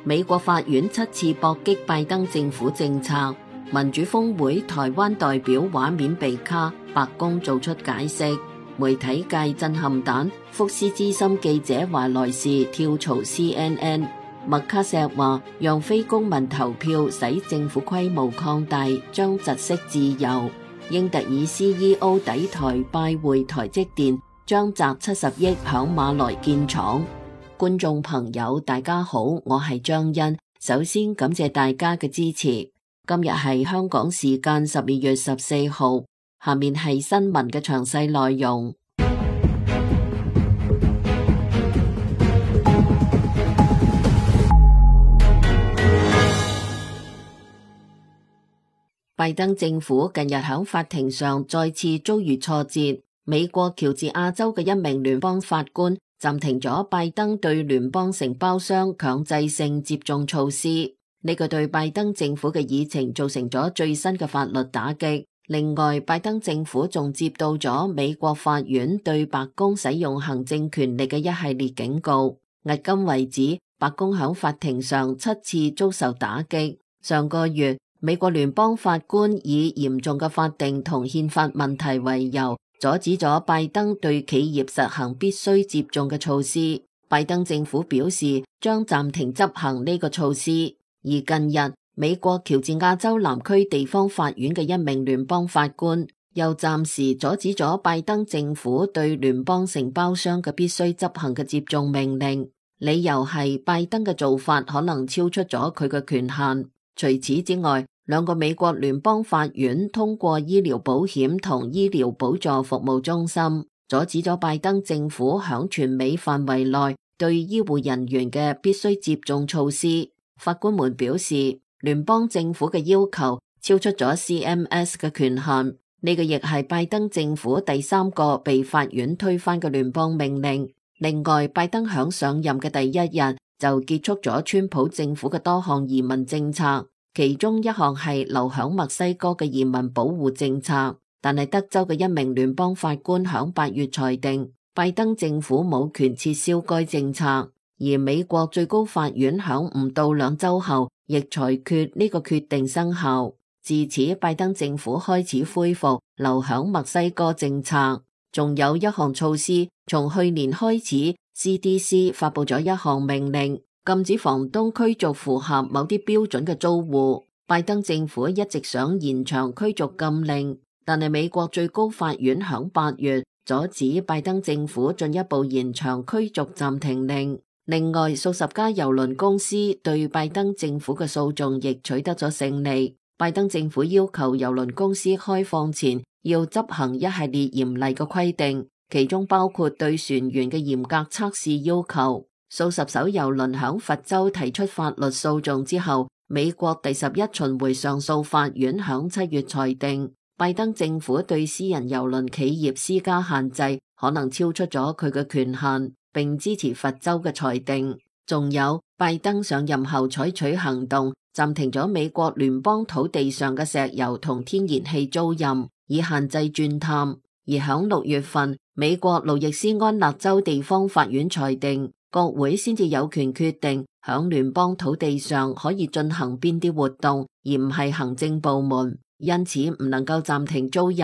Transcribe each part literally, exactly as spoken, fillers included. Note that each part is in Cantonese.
美國法院七次駁擊拜登政府政策，民主峰會台灣代表畫面被卡，白宮做出解釋，媒體界震撼彈，福斯資深記者華萊士跳槽 C N N， 麥卡錫話讓非公民投票使政府規模擴大，將窒息自由。英特爾 C E O 抵台拜會台積電，將砸七十億響馬來建廠。觀眾朋友大家好，我係張欣，首先感謝大家嘅支持。今日係香港時間十二月十四號，下面係新聞嘅詳細內容。拜登政府近日喺法庭上再次遭遇挫折，美國喬治亞州嘅一名聯邦法官暫停咗拜登對聯邦承包商強制性接種措施，呢個對拜登政府嘅議程造成咗最新嘅法律打擊。另外，拜登政府仲接到咗美國法院對白宮使用行政權力嘅一系列警告。迄今為止，白宮喺法庭上七次遭受打擊。上個月，美國聯邦法官以嚴重嘅法定同憲法問題為由，阻止咗拜登對企業實行必須接種嘅措施。拜登政府表示將暫停執行呢個措施。而近日，美國喬治亞州南區地方法院嘅一名聯邦法官又暫時阻止咗拜登政府對聯邦承包商嘅必須執行嘅接種命令，理由係拜登嘅做法可能超出咗佢嘅權限。除此之外，兩個美國聯邦法院通過醫療保險同醫療補助服務中心，阻止咗拜登政府響全美範圍內對醫護人員嘅必須接種措施。法官們表示，聯邦政府嘅要求超出咗 C M S 嘅權限，呢個亦係拜登政府第三個被法院推翻嘅聯邦命令。另外，拜登響上任嘅第一日就結束咗川普政府嘅多項移民政策。其中一項係留響墨西哥嘅移民保護政策，但係德州嘅一名聯邦法官響八月裁定，拜登政府冇權撤銷該政策，而美國最高法院響唔到兩週後亦裁決呢個決定生效。自此，拜登政府開始恢復留響墨西哥政策。仲有一項措施，從去年開始 C D C 發佈咗一項命令，禁止房東驅逐符合某啲標準嘅租戶。拜登政府一直想延長驅逐禁令，但係美國最高法院響八月阻止拜登政府進一步延長驅逐暫停令。另外，數十家郵輪公司對拜登政府嘅訴訟亦取得咗勝利。拜登政府要求郵輪公司開放前要執行一系列嚴厲嘅規定，其中包括對船員嘅嚴格測試要求。數十艘郵輪響佛州提出法律訴訟之後，美國第十一巡迴上訴法院響七月裁定，拜登政府對私人郵輪企業施加限制可能超出咗佢嘅權限，並支持佛州嘅裁定。仲有，拜登上任後採取行動，暫停咗美國聯邦土地上嘅石油同天然氣租賃，以限制鑽探。而響六月份，美國路易斯安那州地方法院裁定，國會先至有權決定響聯邦土地上可以進行邊啲活動，而唔係行政部門，因此唔能夠暫停租賃。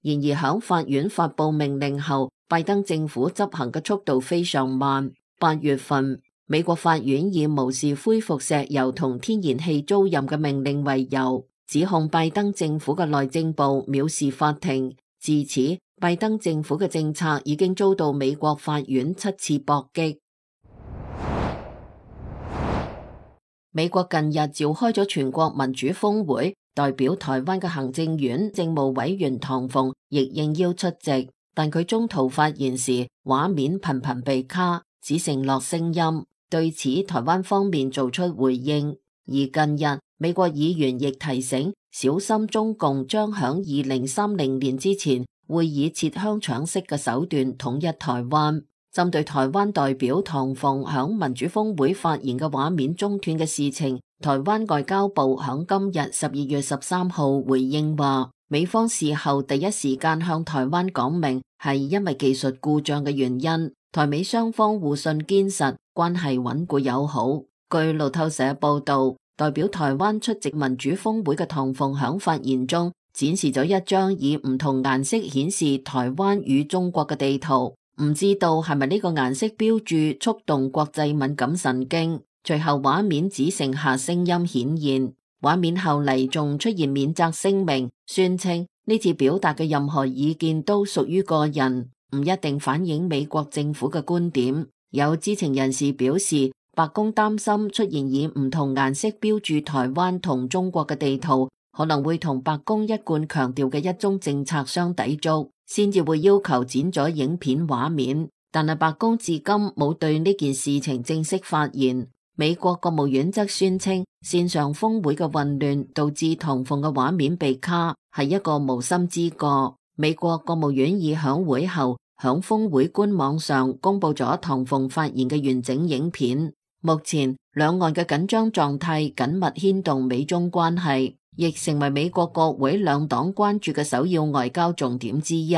然而響法院發佈命令後，拜登政府執行嘅速度非常慢。八月份，美國法院以無視恢復石油同天然氣租賃嘅命令為由，指控拜登政府嘅內政部藐視法庭。自此，拜登政府嘅政策已經遭到美國法院七次駁擊。美國近日召開咗全國民主峰會，代表台灣嘅行政院政務委員唐鳳亦應邀出席，但佢中途發言時畫面頻頻被卡，只剩落聲音。對此，台灣方面做出回應。而近日，美國議員亦提醒小心中共將響二零三零年之前會以切香腸式嘅手段統一台灣。針對台灣代表唐鳳響民主峰會發言嘅畫面中斷嘅事情，台灣外交部響今日十二月十三號回應話，美方事後第一時間向台灣講明係因為技術故障嘅原因，台美雙方互信堅實，關係穩固友好。據路透社報道，代表台灣出席民主峰會嘅唐鳳響發言中展示咗一張以唔同顏色顯示台灣與中國嘅地圖，唔知道係咪呢個顏色標註觸動國際敏感神經。隨後畫面只剩下聲音顯現，畫面後嚟仲出現免責聲明，宣稱呢次表達嘅任何意見都屬於個人，唔一定反映美國政府嘅觀點。有知情人士表示，白宮擔心出現以唔同顏色標註台灣同中國嘅地圖，可能會同白宮一貫強調嘅一中政策相抵觸，先至會要求剪咗影片畫面。但係白宮至今冇對呢件事情正式發言。美國國務院則宣稱，線上峰會嘅混亂導致唐鳳嘅畫面被卡，係一個無心之過。美國國務院已響會後響峰會官網上公布咗唐鳳發言嘅完整影片。目前兩岸嘅緊張狀態緊密牽動美中關係，亦成為美國國會兩黨關注嘅首要外交重點之一。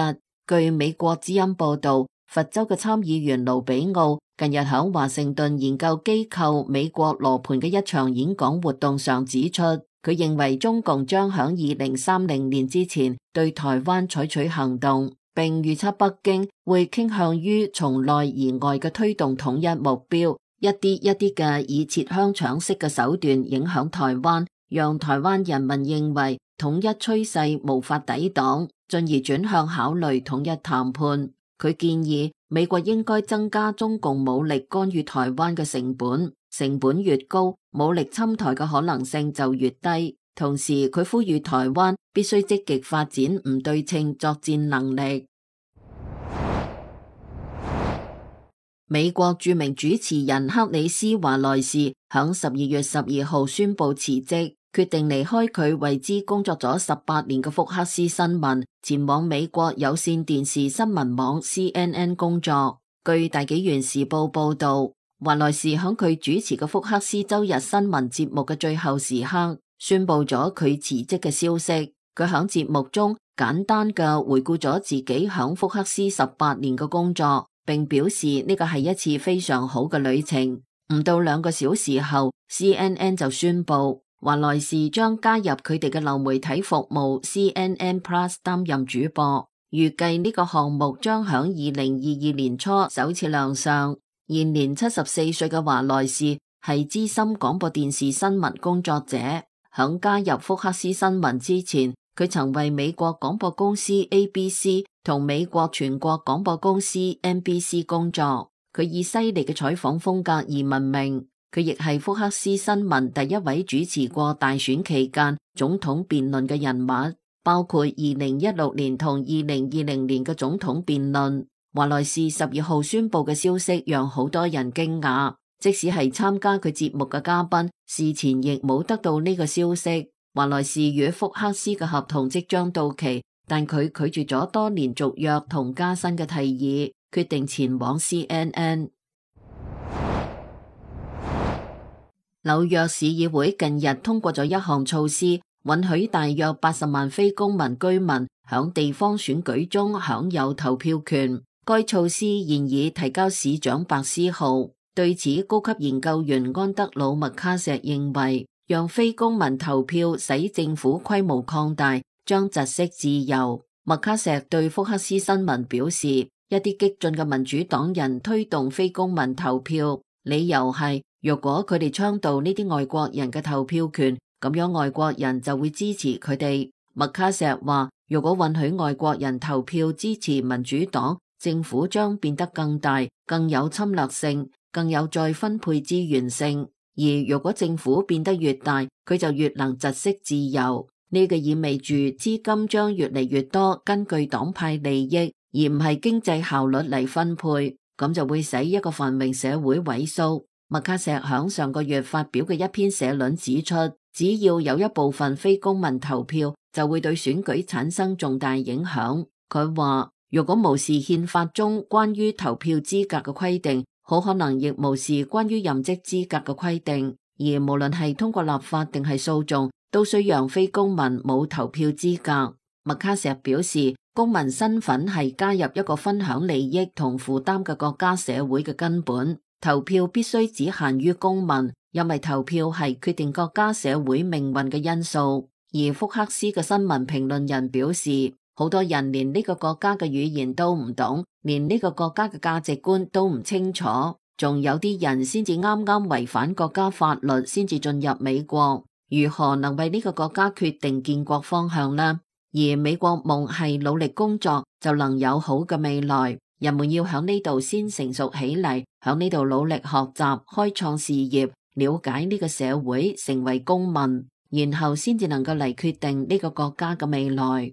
據美國之音報道，佛州嘅參議員盧比奧近日喺華盛頓研究機構美國羅盤嘅一場演講活動上指出，佢認為中共將喺二零三零年之前對台灣採取行動，並預測北京會傾向於從內而外嘅推動統一目標，一啲一啲嘅以切香腸式嘅手段影響台灣，讓台灣人民認為統一趨勢無法抵擋，進而轉向考慮統一談判。佢建議美國應該增加中共武力干預台灣嘅成本，成本越高，武力侵台嘅可能性就越低。同時，佢呼籲台灣必須積極發展唔對稱作戰能力。美國著名主持人克里斯華萊士響十二月十二號宣布辭職，決定離開佢為之工作咗十八年嘅福克斯新聞，前往美國有線電視新聞網 C N N 工作。據大紀元時報報道，華萊士響佢主持嘅福克斯周日新聞節目嘅最後時刻，宣布咗佢辭職嘅消息。佢響節目中簡單嘅回顧咗自己響福克斯十八年嘅工作，並表示呢個係一次非常好嘅旅程。唔到兩個小時後 ，C N N 就宣布華萊士將加入佢哋嘅流媒體服務 C N N Plus 擔任主播，預計呢個項目將響二零二二年初首次亮相。現年七十四歲嘅華萊士係資深廣播電視新聞工作者，響加入福克斯新聞之前，佢曾為美國廣播公司 A B C 同美國全國廣播公司 N B C 工作。佢以犀利嘅採訪風格而聞名。佢亦係福克斯新聞第一位主持過大選期間總統辯論嘅人物，包括二零一六年同二零二零年嘅總統辯論。華萊士十二號宣布嘅消息讓好多人驚訝，即使係參加佢節目嘅嘉賓，事前亦冇得到呢個消息。華萊士與福克斯嘅合同即將到期，但佢拒絕咗多年續約同加薪嘅提議，決定前往 C N N。紐約市議會近日通過咗一項措施，允許大約八十萬非公民居民響地方選舉中享有投票權。該措施現已提交市長白思豪。對此，高級研究員安德魯麥卡錫認為，讓非公民投票使政府規模擴大，將窒息自由。麥卡錫對福克斯新聞表示，一啲激進嘅民主黨人推動非公民投票，理由係若果佢哋倡導呢啲外國人嘅投票權，咁樣外國人就會支持佢哋。麥卡錫話，如果允許外國人投票支持民主黨，政府將變得更大、更有侵略性、更有再分配資源性。而如果政府變得越大，佢就越能窒息自由。呢個意味住資金將越嚟越多根據黨派利益，而唔係經濟效率嚟分配，咁就會使一個繁榮社會萎縮。麥卡錫響上個月發表嘅一篇社論指出，只要有一部分非公民投票，就會對選舉產生重大影響。佢話，如果無視憲法中關於投票資格嘅規定，好可能亦無視關於任職資格嘅規定，而無論係通過立法定係訴訟，都需讓非公民冇投票資格。麥卡錫表示，公民身份係加入一個分享利益同負擔嘅國家社會嘅根本。投票必須只限於公民，因為投票係決定國家社會命運嘅因素。而福克斯嘅新聞評論人表示，好多人連呢個國家嘅語言都唔懂，連呢個國家嘅價值觀都唔清楚，仲有啲人先至啱啱違反國家法律先至進入美國，如何能為呢個國家決定建國方向呢？而美國夢係努力工作就能有好嘅未來，人們要響呢度先成熟起嚟，響呢度努力學習，開創事業，了解呢個社會，成為公民，然後先至能夠嚟決定呢個國家嘅未來。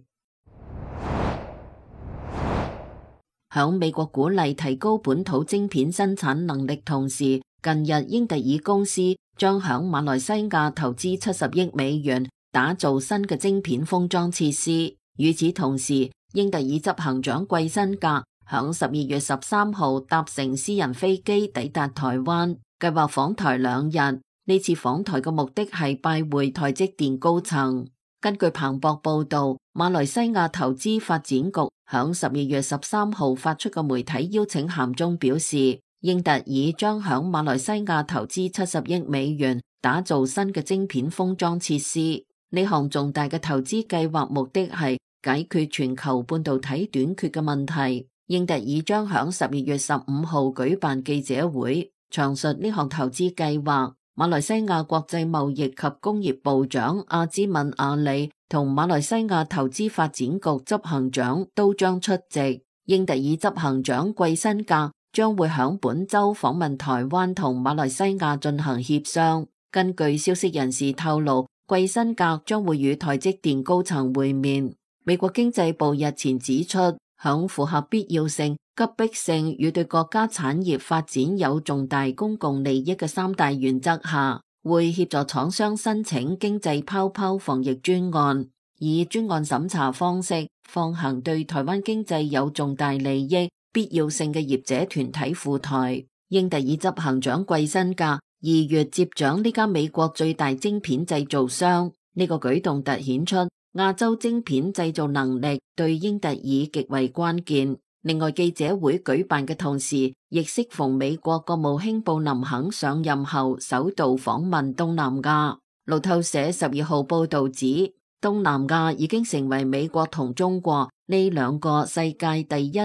響美國鼓勵提高本土晶片生產能力同時，近日英特爾公司將響馬來西亞投資七十億美元打造新嘅晶片封裝設施。與此同時，英特爾執行長季辛格響十二月十三號搭乘私人飛機抵達台灣，計劃訪台兩日。呢次訪台嘅目的係拜會台積電高層。根據彭博報道，馬來西亞投資發展局響十二月十三號發出嘅媒體邀請函中表示，英特爾將響馬來西亞投資七十億美元打造新嘅晶片封裝設施。呢項重大嘅投資計劃目的係解決全球半導體短缺嘅問題。英特爾將響十二月十五號舉辦記者會，詳述呢項投資計劃。馬來西亞國際貿易及工業部長阿茲敏阿里同馬來西亞投資發展局執行長都將出席。英特爾執行長季辛格將會響本周訪問台灣同馬來西亞進行協商。根據消息人士透露，季辛格將會與台積電高層會面。美國經濟部日前指出，響符合必要性、急迫性與對國家產業發展有重大公共利益嘅三大原則下，會協助廠商申請經濟泡泡防疫專案，以專案審查方式放行對台灣經濟有重大利益、必要性嘅業者團體赴台。英特爾執行長季辛格二月接掌呢間美國最大晶片製造商，呢、這個舉動凸顯出亞洲晶片製造能力對英特爾極為關鍵。另外，記者會舉辦嘅同時，亦適逢美國國務卿布林肯上任後首度訪問東南亞。路透社十二號報道指，東南亞已經成為美國同中國呢兩個世界第一、第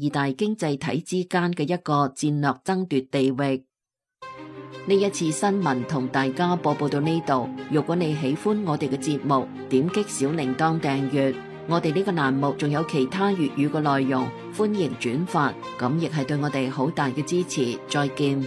二大經濟體之間嘅一個戰略爭奪地域。呢一次新聞同大家播報到呢度。如果你喜歡我哋嘅節目，點擊小鈴鐺訂閱。我哋呢個欄目仲有其他粵語嘅內容，歡迎轉發，咁亦係對我哋好大嘅支持。再見。